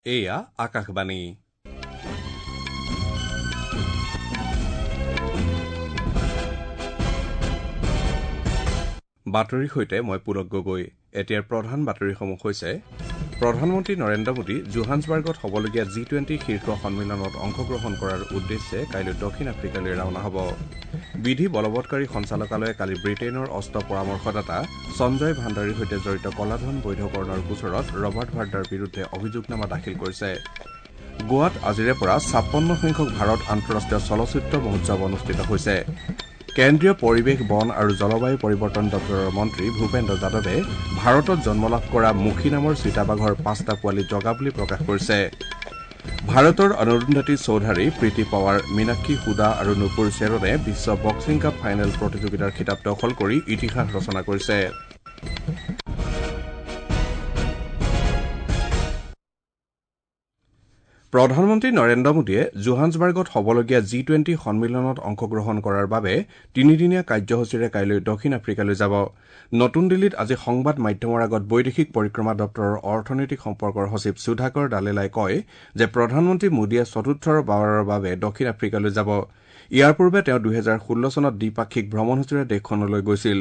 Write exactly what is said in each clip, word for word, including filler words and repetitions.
এয়া আকাশবাণী। বাতৰিৰ সৈতে মই পুলক গগৈ। এতিয়াৰ প্ৰধান বাতৰিসমূহ হৈছে: প্ৰধানমন্ত্ৰী নৰেন্দ্ৰ মোদী জোহান্সবাৰ্গত হ'বলগীয়া জি টুৱেণ্টি শীৰ্ষ সন্মিলনত অংশগ্ৰহণ কৰাৰ উদ্দেশ্যে কাইলৈ দক্ষিণ আফ্ৰিকালৈ ৰাওনা হ'ব। বিধি বলবৎকাৰী সঞ্চালকালয়ে কালি ব্ৰিটেইনৰ অস্ত্ৰ পৰামৰ্শদাতা সঞ্জয় ভাণ্ডাৰীৰ সৈতে জড়িত কলাধন বৈধকৰণৰ গোচৰত ৰবাৰ্ট ভাদ্ৰাৰ বিৰুদ্ধে অভিযোগনামা দাখিল কৰিছে। গোৱাত আজিৰে পৰা ছাপন্ন সংখ্যক ভাৰত আন্তঃৰাষ্ট্ৰীয় চলচ্চিত্ৰ মহোৎসৱ অনুষ্ঠিত হৈছে। কেন্দ্ৰীয় পৰিৱেশ, বন আৰু জলবায়ু পৰিৱৰ্তন দপ্তৰৰ মন্ত্ৰী ভূপেন্দ্ৰ যাদৱে ভাৰতত জন্মলাভ কৰা মুখী নামৰ চিতাবাঘৰ পাঁচটা পোৱালি জগা বুলি প্ৰকাশ কৰিছে। ভাৰতৰ অৰুন্ধতী চৌধাৰী, প্ৰীতি পাৱাৰ, মীনাক্ষী হুদা আৰু নুপুৰ শ্বেৰনে বিশ্ব বক্সিং কাপ ফাইনেল প্ৰতিযোগিতাৰ খিতাপ দখল কৰি ইতিহাস ৰচনা কৰিছে। প্ৰধানমন্ত্ৰী নৰেন্দ্ৰ মোদীয়ে জোহান্সবাৰ্গত হ'বলগীয়া জি টুৱেণ্টি সন্মিলনত অংশগ্ৰহণ কৰাৰ বাবে তিনিদিনীয়া কাৰ্যসূচীৰে কাইলৈ দক্ষিণ আফ্ৰিকালৈ যাব। নতুন দিল্লীত আজি সংবাদ মাধ্যমৰ আগত বৈদেশিক পৰিক্ৰমা দপ্তৰৰ অৰ্থনৈতিক সম্পৰ্কৰ সচিব সুধাকৰ দালেলাই কয় যে প্ৰধানমন্ত্ৰী মোদীয়ে চতুৰ্থবাৰৰ বাবে দক্ষিণ আফ্ৰিকালৈ যাব। ইয়াৰ পূৰ্বে তেওঁ দুহেজাৰ ষোল্ল চনত দ্বিপাক্ষিক ভ্ৰমণসূচীৰে দেশখনলৈ গৈছিল।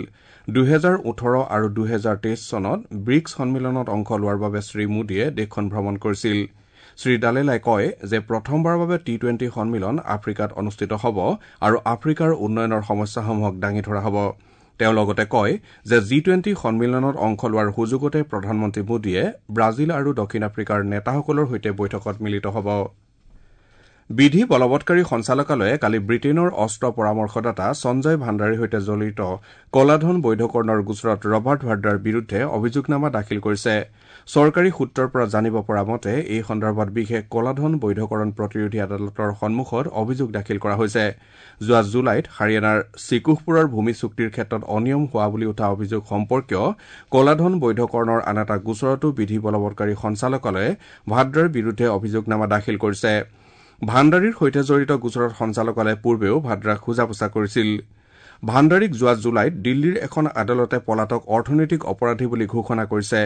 দুহেজাৰ ওঠৰ আৰু দুহেজাৰ তেইছ চনত ব্ৰিকছ সন্মিলনত অংশ লোৱাৰ বাবে শ্ৰীমোদীয়ে দেশখন ভ্ৰমণ কৰিছিল। শ্ৰীদালেলাই কয় যে প্ৰথমবাৰৰ বাবে টি টুৱেণ্টি সন্মিলন আফ্ৰিকাত অনুষ্ঠিত হ'ব আৰু আফ্ৰিকাৰ উন্নয়নৰ সমস্যাসমূহক দাঙি ধৰা হ'ব। তেওঁ লগতে কয় যে জি টুৱেণ্টি সন্মিলনত অংশ লোৱাৰ সুযোগতে প্ৰধানমন্ত্ৰী মোদীয়ে ব্ৰাজিল আৰু দক্ষিণ আফ্ৰিকাৰ নেতাসকলৰ সৈতে বৈঠকত মিলিত হ'ব। বিধি বলবৎকাৰী সঞ্চালকালয়ে কালি ব্ৰিটেইনৰ অস্ত্ৰ পৰামৰ্শদাতা সঞ্জয় ভাণ্ডাৰীৰ সৈতে জড়িত কলাধন বৈধকৰণৰ গোচৰত ৰবাৰ্ট ভাদ্ৰাৰ বিৰুদ্ধে অভিযোগনামা দাখিল কৰিছে। চৰকাৰী সূত্ৰৰ পৰা জানিব পৰা মতে এই সন্দৰ্ভত বিশেষ কলাধন বৈধকৰণ প্ৰতিৰোধী আদালতৰ সন্মুখত অভিযোগ দাখিল কৰা হৈছে। যোৱা জুলাইত হাৰিয়ানাৰ চিকুহপুৰৰ ভূমি চুক্তিৰ ক্ষেত্ৰত অনিয়ম হোৱা বুলি উঠা অভিযোগ সম্পৰ্কীয় কলাধন বৈধকৰণৰ আন এটা গোচৰতো বিধি বলবৎকাৰী সঞ্চালকালয়ে ভাদ্ৰাৰ বিৰুদ্ধে অভিযোগনামা দাখিল কৰিছে। ভাণ্ডাৰীৰ সৈতে জড়িত গোচৰত সঞ্চালকালয়ে পূৰ্বেও ভাদ্ৰাক সোজা-পোছা কৰিছিল। ভাণ্ডাৰীক যোৱা জুলাইত দিল্লীৰ এখন আদালতে পলাতক অৰ্থনৈতিক অপৰাধী বুলি ঘোষণা কৰিছে।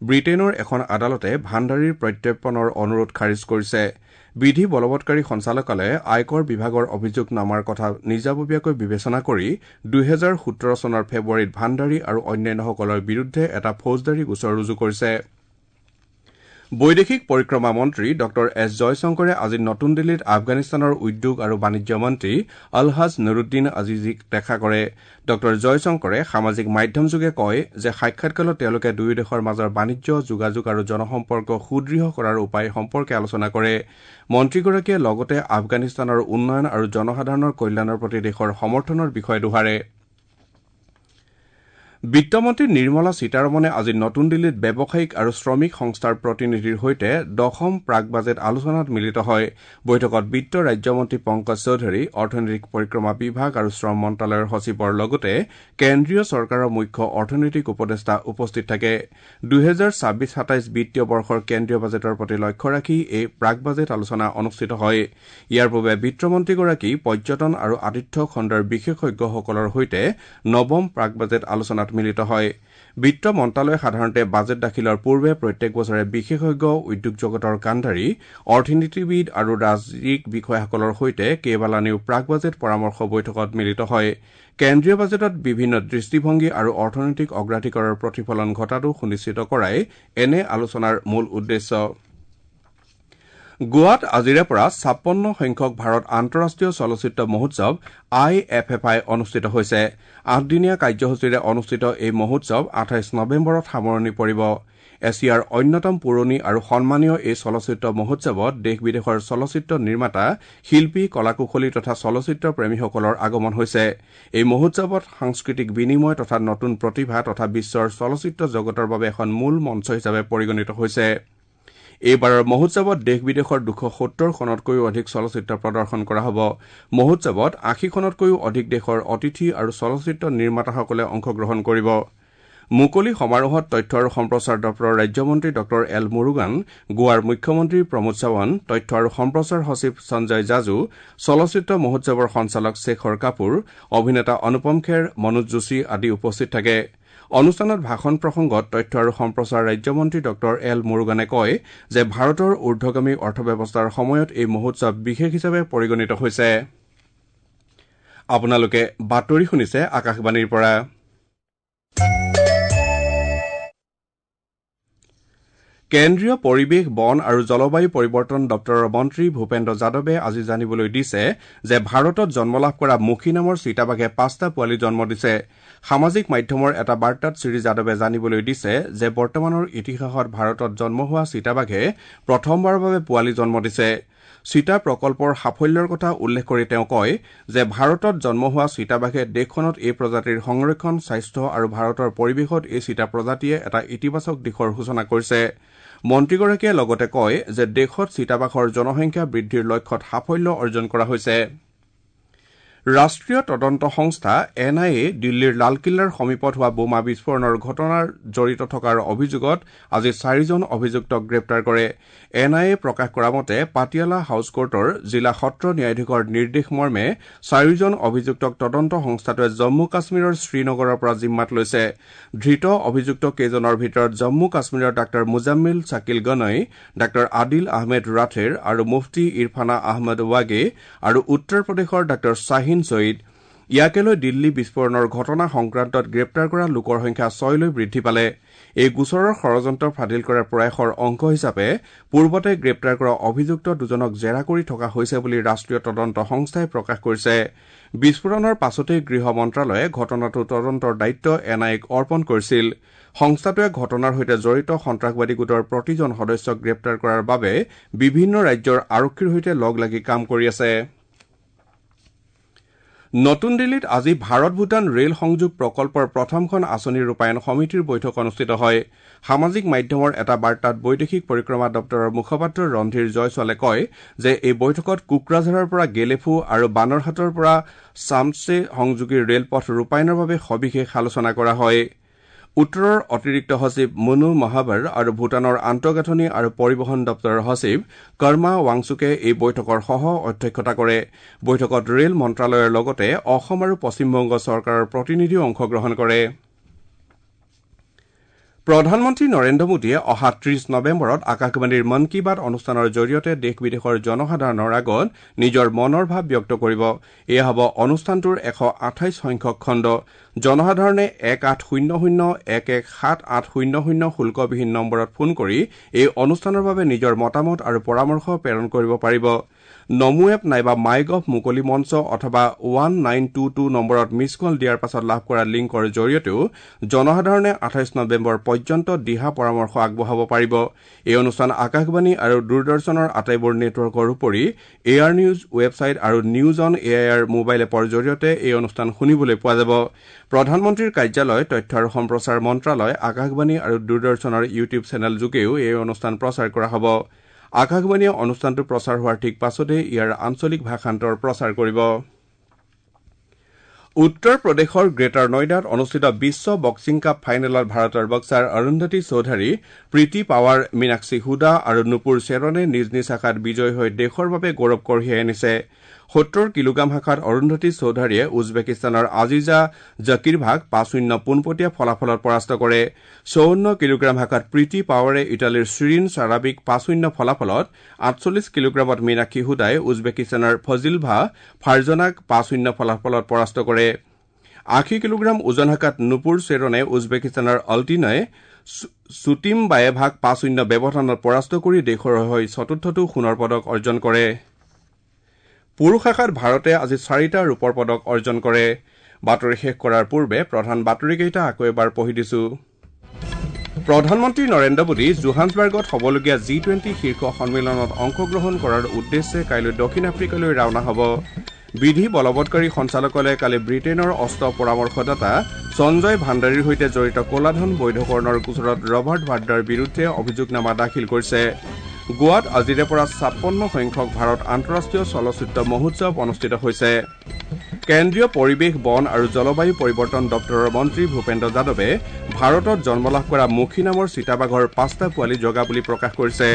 ব্ৰিটেইনৰ এখন আদালতে ভাণ্ডাৰীৰ প্ৰত্যৰ্পণৰ অনুৰোধ খাৰিজ কৰিছে। বিধি বলবৎকাৰী সঞ্চালকালয়ে আয়কৰ বিভাগৰ অভিযোগনামাৰ কথা নিজাববীয়াকৈ বিবেচনা কৰি দুহেজাৰ সোতৰ চনৰ ফেব্ৰুৱাৰীত ভাণ্ডাৰী আৰু অন্যান্যসকলৰ বিৰুদ্ধে এটা ফৌজদাৰী গোচৰ ৰুজু কৰিছে। বৈদেশিক পৰিক্ৰমা মন্ত্ৰী ডঃ এছ জয়শংকৰে আজি নতুন দিল্লীত আফগানিস্তানৰ উদ্যোগ আৰু বাণিজ্য মন্ত্ৰী আলহাজ নুৰুদ্দিন আজিজিক দেখা কৰে। ডঃ জয়শংকৰে সামাজিক মাধ্যমযোগে কয় যে সাক্ষাৎকালত তেওঁলোকে দুয়ো দেশৰ মাজৰ বাণিজ্য, যোগাযোগ আৰু জনসম্পৰ্ক সুদৃঢ় কৰাৰ উপায় সম্পৰ্কে আলোচনা কৰে। মন্ত্ৰীগৰাকীয়ে লগতে আফগানিস্তানৰ উন্নয়ন আৰু জনসাধাৰণৰ কল্যাণৰ প্ৰতি দেশৰ সমৰ্থনৰ বিষয়ে দোহাৰে। বিত্তমন্ত্ৰী নিৰ্মলা সীতাৰমণে আজি নতুন দিল্লীত ব্যৱসায়িক আৰু শ্ৰমিক সংস্থাৰ প্ৰতিনিধিৰ সৈতে দশম প্ৰাক বাজেট আলোচনাত মিলিত হয়। বৈঠকত বিত্ত ৰাজ্যমন্ত্ৰী পংকজ চৌধুৰী, অৰ্থনৈতিক পৰিক্ৰমা বিভাগ আৰু শ্ৰম মন্ত্ৰালয়ৰ সচিবৰ লগতে কেন্দ্ৰীয় চৰকাৰৰ মুখ্য অৰ্থনৈতিক উপদেষ্টা উপস্থিত থাকে। দুহেজাৰ ছাব্বিছ সাতাইছ বিত্তীয় বৰ্ষৰ কেন্দ্ৰীয় বাজেটৰ প্ৰতি লক্ষ্য ৰাখি এই প্ৰাক বাজেট আলোচনা অনুষ্ঠিত হয়। ইয়াৰ পূৰ্বে বিত্তমন্ত্ৰীগৰাকী পৰ্যটন আৰু আতিথ্য খণ্ডৰ বিশেষজ্ঞসকলৰ সৈতে নৱম প্ৰাক বাজেট আলোচনাত মিলিত হয়। বিত্ত মন্ত্ৰালয়ে সাধাৰণতে বাজেট দাখিলৰ পূৰ্বে প্ৰত্যেক বছৰে বিশেষজ্ঞ, উদ্যোগ জগতৰ কাণ্ডাৰী, অৰ্থনীতিবিদ আৰু ৰাজ্যিক বিষয়াসকলৰ সৈতে কেইবালানিও প্ৰাক বাজেট পৰামৰ্শ বৈঠকত মিলিত হয়। কেন্দ্ৰীয় বাজেটত বিভিন্ন দৃষ্টিভংগী আৰু অৰ্থনৈতিক অগ্ৰাধিকাৰৰ প্ৰতিফলন ঘটাটো সুনিশ্চিত কৰাই এনে আলোচনাৰ মূল উদ্দেশ্য। গোৱাত আজিৰে পৰা ছাপন্ন সংখ্যক ভাৰত আন্তঃৰাষ্ট্ৰীয় চলচ্চিত্ৰ মহোৎসৱ আই এফ এফ আই অনুষ্ঠিত হৈছে। আঠদিনীয়া কাৰ্যসূচীৰে অনুষ্ঠিত এই মহোৎসৱ আঠাইছ নৱেম্বৰত সামৰণি পৰিব। এছিয়াৰ অন্যতম পুৰণি আৰু সন্মানীয় এই চলচ্চিত্ৰ মহোৎসৱত দেশ বিদেশৰ চলচ্চিত্ৰ নিৰ্মাতা, শিল্পী, কলাকুশলী তথা চলচ্চিত্ৰ প্ৰেমীসকলৰ আগমন হৈছে। এই মহোৎসৱত সাংস্কৃতিক বিনিময় তথা নতুন প্ৰতিভা তথা বিশ্বৰ চলচ্চিত্ৰ জগতৰ বাবে এখন মূল মঞ্চ হিচাপে পৰিগণিত হৈছে। এইবাৰৰ মহোৎসৱত দেশ বিদেশৰ দুশ সত্তৰখনতকৈও অধিক চলচ্চিত্ৰ প্ৰদৰ্শন কৰা হ'ব। মহোৎসৱত আশীখনতকৈও অধিক দেশৰ অতিথি আৰু চলচ্চিত্ৰ নিৰ্মাতাসকলে অংশগ্ৰহণ কৰিব। মুকলি সমাৰোহত তথ্য আৰু সম্প্ৰচাৰ দপ্তৰৰ ৰাজ্যমন্ত্ৰী ডঃ এল মুৰুগান, গোৱাৰ মুখ্যমন্ত্ৰী প্ৰমোদ সাৱন্ত, তথ্য আৰু সম্প্ৰচাৰ সচিব সঞ্জয় জাজু, চলচ্চিত্ৰ মহোৎসৱৰ সঞ্চালক শেখৰ কাপুৰ, অভিনেতা অনুপম খেৰ, মনোজ যোশী আদি উপস্থিত থাকে। অনুষ্ঠানত ভাষণ প্ৰসংগত তথ্য আৰু সম্প্ৰচাৰ ৰাজ্যমন্ত্ৰী ডঃ এল মুৰুগানে কয় যে ভাৰতৰ ঊৰ্ধগামী অৰ্থব্যৱস্থাৰ সময়ত এই মহোৎসৱ বিশেষ হিচাপে পৰিগণিত হৈছে। আপোনালোকে বাতৰি শুনিছে আকাশবাণীৰ পৰা। কেন্দ্ৰীয় পৰিৱেশ, বন আৰু জলবায়ু পৰিৱৰ্তন দপ্তৰৰ মন্ত্ৰী ভূপেন্দ্ৰ যাদৱে আজি জানিবলৈ দিছে যে ভাৰতত জন্ম লাভ কৰা মুখী নামৰ চিতাবাঘে পাঁচটা পোৱালি জন্ম দিছে। সামাজিক মাধ্যমৰ এটা বাৰ্তাত শ্ৰী যাদৱে জানিবলৈ দিছে যে বৰ্তমানৰ ইতিহাসত ভাৰতত জন্ম হোৱা চিতাবাঘে প্ৰথমবাৰৰ বাবে পোৱালি জন্ম দিছে। চিতা প্ৰকল্পৰ সাফল্যৰ কথা উল্লেখ কৰি তেওঁ কয় যে ভাৰতত জন্ম হোৱা চিতাবাঘে দেশখনত এই প্ৰজাতিৰ সংৰক্ষণ, স্বাস্থ্য আৰু ভাৰতৰ পৰিৱেশত এই চিতা প্ৰজাতিয়ে এটা ইতিবাচক দিশৰ সূচনা কৰিছে। মন্ত্ৰীগৰাকীয়ে লগতে কয় যে দেশত চিতাবাঘৰ জনসংখ্যা বৃদ্ধিৰ লক্ষ্যত সাফল্য অৰ্জন কৰা হৈছে। ৰাষ্ট্ৰীয় তদন্ত সংস্থা এন I A দিল্লীৰ লালকিল্লাৰ সমীপত হোৱা বোমা বিস্ফোৰণৰ ঘটনাৰ জড়িত থকাৰ অভিযোগত আজি চাৰিজন অভিযুক্তক গ্ৰেপ্তাৰ কৰে। এন I A প্ৰকাশ কৰা মতে পাটিয়ালা হাউছ কোৰ্টৰ জিলা সত্ৰ ন্যায়াধীশৰ নিৰ্দেশ মৰ্মে চাৰিজন অভিযুক্তক তদন্ত সংস্থাটোৱে জম্মু কাশ্মীৰৰ শ্ৰীনগৰৰ পৰা জিম্মাত লৈছে। ধৃত অভিযুক্ত কেইজনৰ ভিতৰত জম্মু কাশ্মীৰৰ ডাঃ মুজাম্মিল ছাকিল গনৈ, ডাঃ আদিল আহমেদ ৰাথেৰ আৰু মুফতি ইৰফানা আহমেদ ৱাগে আৰু উত্তৰ প্ৰদেশৰ ডাঃ শ্বাহিন ছঈদ। ইয়াকে লৈ দিল্লী বিস্ফোৰণৰ ঘটনা সংক্ৰান্তত গ্ৰেপ্তাৰ কৰা লোকৰ সংখ্যা ছয়লৈ বৃদ্ধি পালে। এই গোচৰৰ ষড়যন্ত্ৰ ফাদিল কৰাৰ প্ৰয়াসৰ অংশ হিচাপে পূৰ্বতে গ্ৰেপ্তাৰ কৰা অভিযুক্ত দুজনক জেৰা কৰি থকা হৈছে বুলি ৰাষ্ট্ৰীয় তদন্ত সংস্থাই প্ৰকাশ কৰিছে। বিস্ফোৰণৰ পাছতেই গৃহ মন্ত্ৰালয়ে ঘটনাটোৰ তদন্তৰ দায়িত্ব এন আই এক অৰ্পণ কৰিছিল। সংস্থাটোৱে ঘটনাৰ সৈতে জড়িত সন্ত্ৰাসবাদী গোটৰ প্ৰতিজন সদস্যক গ্ৰেপ্তাৰ কৰাৰ বাবে বিভিন্ন ৰাজ্যৰ আৰক্ষীৰ সৈতে লগ লাগি কাম কৰি আছে। নতুন দিল্লীত আজি ভাৰত ভূটান ৰেল সংযোগ প্ৰকল্পৰ প্ৰথমখন আঁচনি ৰূপায়ণ সমিতিৰ বৈঠক অনুষ্ঠিত হয়। সামাজিক মাধ্যমৰ এটা বাৰ্তাত বৈদেশিক পৰিক্ৰমা দপ্তৰৰ মুখপাত্ৰ ৰণধীৰ জয়ছোৱালে কয় যে এই বৈঠকত কোকৰাঝাৰৰ পৰা গেলেফু আৰু বানৰহাটৰ পৰা চামচে সংযোগী ৰেলপথ ৰূপায়ণৰ বাবে সবিশেষ আলোচনা কৰা হয়। উত্তৰৰ অতিৰিক্ত সচিব মনু মহাবৰ আৰু ভূটানৰ আন্তঃগাঁথনি আৰু পৰিবহণ দপ্তৰৰ সচিব কৰ্মা ৱাংচুকে এই বৈঠকৰ সহ অধ্যক্ষতা কৰে। বৈঠকত ৰেল মন্ত্ৰালয়ৰ লগতে অসম আৰু পশ্চিমবংগ চৰকাৰৰ প্ৰতিনিধিও অংশগ্ৰহণ কৰে। প্ৰধানমন্ত্ৰী নৰেন্দ্ৰ মোদীয়ে অহা ত্ৰিশ নৱেম্বৰত আকাশবাণীৰ মন কী বাত অনুষ্ঠানৰ জৰিয়তে দেশ বিদেশৰ জনসাধাৰণৰ আগত নিজৰ মনৰ ভাৱ ব্যক্ত কৰিব। এয়া হ'ব অনুষ্ঠানটোৰ এশ আঠাইছ সংখ্যক খণ্ড। জনসাধাৰণে এক আঠ শূন্য শূন্য এক এক সাত আঠ শূন্য শূন্য শুল্কবিহীন নম্বৰত ফোন কৰি এই অনুষ্ঠানৰ বাবে নিজৰ মতামত আৰু পৰামৰ্শ প্ৰেৰণ কৰিব পাৰিব। নমো এপ নাইবা মাই গভ মুকলি মঞ্চ অথবা ওৱান নাইন টু টু নম্বৰত মিছ কল দিয়াৰ পাছত লাভ কৰা লিংকৰ জৰিয়তেও জনসাধাৰণে আঠাইছ নৱেম্বৰ পৰ্যন্ত দিহা পৰামৰ্শ আগবঢ়াব পাৰিব। এই অনুষ্ঠান আকাশবাণী আৰু দূৰদৰ্শনৰ আটাইবোৰ নেটৱৰ্কৰ উপৰি এ আৰ নিউজ ৱেবছাইট আৰু news on A I R mobile এপৰ জৰিয়তে এই অনুষ্ঠান শুনিবলৈ পোৱা যাব। প্ৰধানমন্ত্ৰীৰ কাৰ্যালয়, তথ্য আৰু সম্প্ৰচাৰ মন্ত্ৰালয়, আকাশবাণী আৰু দূৰদৰ্শনৰ ইউটিউব চেনেল যোগেও এই অনুষ্ঠান প্ৰচাৰ কৰা হ'ব। আকাশবাণীয়ে অনুষ্ঠানটো প্ৰচাৰ হোৱাৰ ঠিক পাছতে ইয়াৰ আঞ্চলিক ভাষান্তৰ প্ৰচাৰ কৰিব। উত্তৰ প্ৰদেশৰ গ্ৰেটাৰ নয়ডাত অনুষ্ঠিত বিশ্ব বক্সিং কাপ ফাইনেলত ভাৰতৰ বক্সাৰ অৰুন্ধতী চৌধাৰী, প্ৰীতি পাৱাৰ, মীনাক্ষী হুদা আৰু নুপুৰ শ্বেৰণে নিজ নিজ শাখাত বিজয়ী হৈ দেশৰ বাবে গৌৰৱ কঢ়িয়াই আনিছে। সত্তৰ কিলোগ্ৰাম শাখাত অৰুন্ধতী চৌধাৰীয়ে উজবেকিস্তানৰ আজিজা জাকিৰভাক পাঁচ শূন্য পোনপটীয়া ফলাফলত পৰাস্ত কৰে। চৌৱন্ন কিলোগ্ৰাম শাখাত প্ৰীতি পাৱাৰে ইটালীৰ শ্বিৰিন চাৰাবিক পাঁচ শূন্য ফলাফলত, আঠচল্লিছ কিলোগ্ৰামত মীনাক্ষী হুদাই উজবেকিস্তানৰ ফজিলভা ফাৰজনাক পাঁচ শূন্য ফলাফলত পৰাস্ত কৰে। আশী কিলোগ্ৰাম ওজন শাখাত নুপুৰ শ্বেৰণে উজবেকিস্তানৰ অল্টিনয় চুটিমবায়েভাক পাঁচ শূন্য ব্যৱধানত পৰাস্ত কৰি দেশৰ হৈ চতুৰ্থটো সোণৰ পদক অৰ্জন কৰে। পুৰুষ শাখাত ভাৰতে আজি চাৰিটা ৰূপৰ পদক অৰ্জন কৰে। বাতৰি শেষ কৰাৰ পূৰ্বে প্ৰধান বাতৰিকেইটা আকৌ এবাৰ পঢ়ি দিছো। প্ৰধানমন্ত্ৰী নৰেন্দ্ৰ মোদী জোহান্সবাৰ্গত হ'বলগীয়া জি টুৱেণ্টি শীৰ্ষ সন্মিলনত অংশগ্ৰহণ কৰাৰ উদ্দেশ্যে কাইলৈ দক্ষিণ আফ্ৰিকালৈ ৰাওনা হ'ব। বিধি বলবৎকাৰী সঞ্চালকালয়ে কালি ব্ৰিটেইনৰ অস্ত্ৰ পৰামৰ্শদাতা সঞ্জয় ভাণ্ডাৰীৰ সৈতে জড়িত ক'লাধন বৈধকৰণৰ গোচৰত ৰবাৰ্ট ভাদ্ৰাৰ বিৰুদ্ধে অভিযোগনামা দাখিল কৰিছে। গোৱাত আজিৰে পৰা ছাপন্ন সংখ্যক ভাৰত আন্তঃৰাষ্ট্ৰীয় চলচ্চিত্ৰ মহোৎসৱ অনুষ্ঠিত হৈছে। কেন্দ্ৰীয় পৰিৱেশ, বন আৰু জলবায়ু পৰিৱৰ্তন দপ্তৰৰ মন্ত্ৰী ভূপেন্দ্ৰ যাদৱে ভাৰতত জন্ম লাভ কৰা মুখী নামৰ চিতাবাঘৰ পাঁচটা পোৱালি জগা বুলি প্ৰকাশ কৰিছে।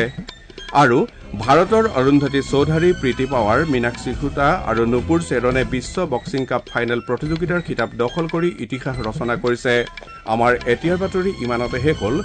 আৰু ভাৰতৰ অৰুন্ধতী চৌধাৰী, প্ৰীতি পাৱাৰ, মীনাক্ষী সুতা আৰু নুপুৰ চেৰনে বিশ্ব বক্সিং কাপ ফাইনেল প্ৰতিযোগিতাৰ খিতাপ দখল কৰি ইতিহাস ৰচনা কৰিছে। আমাৰ এতিয়াৰ বাতৰি ইমানতে শেষ হ'ল।